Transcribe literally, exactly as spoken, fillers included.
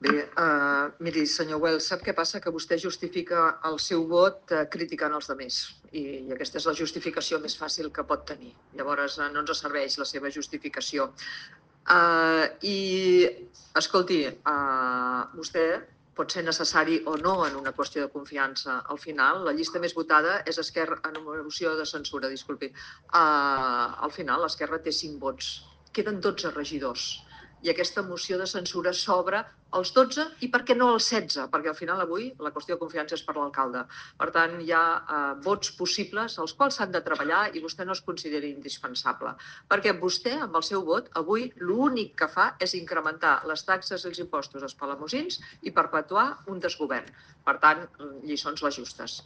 Bé, uh, miri, senyor Well, sap què passa? Que vostè justifica el seu vot uh, criticant els altres. I, I aquesta és la justificació més fàcil que pot tenir. Llavors, uh, no ens serveix la seva justificació. Uh, I, escolti, uh, vostè pot ser necessari o no en una qüestió de confiança. Al final, la llista més votada és Esquerra, en una moció de censura, disculpi. Uh, al final, l'Esquerra té cinc vots. Queden dotze regidors. I aquesta moció de censura s'obre als dotze i per què no als setze? Perquè al final avui la qüestió de confiança és per l'alcalde. Per tant, hi ha eh, vots possibles als quals s'han de treballar i vostè no es consideri indispensable. Perquè vostè, amb el seu vot, avui l'únic que fa és incrementar les taxes i els impostos als palamosins i perpetuar un desgovern. Per tant, lliçons les justes.